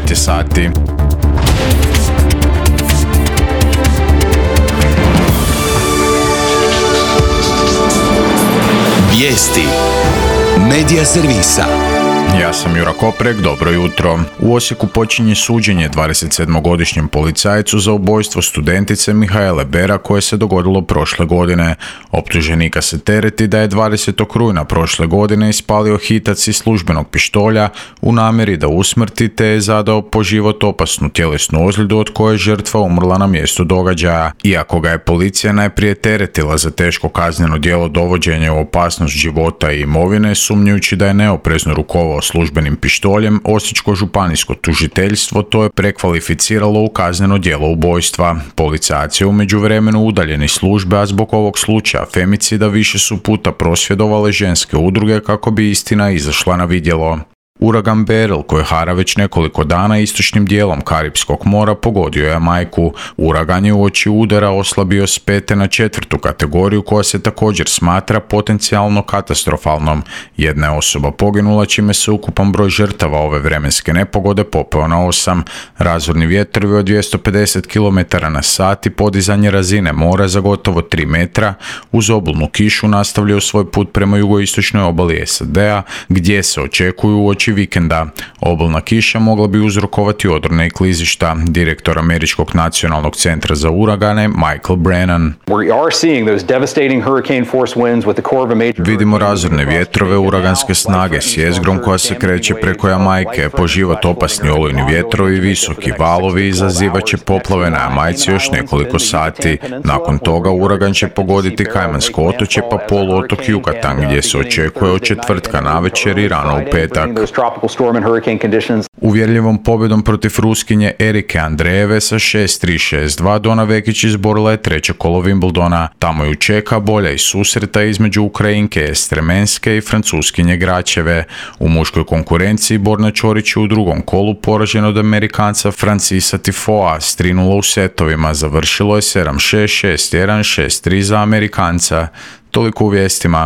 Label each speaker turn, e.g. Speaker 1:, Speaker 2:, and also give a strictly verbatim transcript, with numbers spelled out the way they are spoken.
Speaker 1: devet je sati.
Speaker 2: Vijesti Medija servisa.
Speaker 1: Ja sam Jura Koprek, dobro jutro. U Osijeku počinje suđenje dvadesetsedmogodišnjem policajcu za ubojstvo studentice Mihaele Bera koje se dogodilo prošle godine. Optuženika se tereti da je dvadesetog rujna prošle godine ispalio hitac iz službenog pištolja u namjeri da usmrti te je zadao po život opasnu tjelesnu ozljedu od koje je žrtva umrla na mjestu događaja. Iako ga je policija najprije teretila za teško kazneno djelo dovođenja u opasnost života i imovine, sumnjujući da je neoprezno rukovao službenim pištoljem, Osječko županijsko tužiteljstvo to je prekvalificiralo u kazneno djelo ubojstva. Policajac je u međuvremenu udaljen iz službe, a zbog ovog slučaja femicida više su puta prosvjedovale ženske udruge kako bi istina izašla na vidjelo. Uragan Beryl koji hara već nekoliko dana istočnim dijelom Karipskog mora pogodio je Jamajku. Uragan je uoči udara oslabio s pete na četvrtu kategoriju koja se također smatra potencijalno katastrofalnom. Jedna je osoba poginula čime se ukupan broj žrtava ove vremenske nepogode popeo na osam. Razorni vjetrovi od dvjesto pedeset kilometara na sat i podizanje razine mora za gotovo tri metra uz obilnu kišu nastavljaju svoj put prema jugoistočnoj obali S A D-a gdje se očekuju uoči vikenda. Obilna kiša mogla bi uzrokovati odrone i klizišta. Direktor Američkog nacionalnog centra za uragane Michael Brennan. Vidimo razorne vjetrove uraganske snage s jezgrom koja se kreće preko Jamajke. Po život opasni olujni vjetrovi, visoki valovi izazivat će poplave na Jamajci još nekoliko sati. Nakon toga uragan će pogoditi Kajmansko otočje pa poluotok Yucatan gdje se očekuje od četvrtka navečer i rano u petak. Uvjerljivom pobjedom protiv Ruskinje Erike Andrejeve sa šest tri šest dva Dona Vekić izborila je treće kolo Wimbledona. Tamo ju čeka bolja i susreta između Ukrajinke Estremenske i Francuskinje Gračeve. U muškoj konkurenciji Borna Ćorić je u drugom kolu poražen od Amerikanca Francisa Tifoa s tri nula u setovima. Završilo je sedam šest, šest jedan, šest tri za Amerikanca. Toliko u vijestima.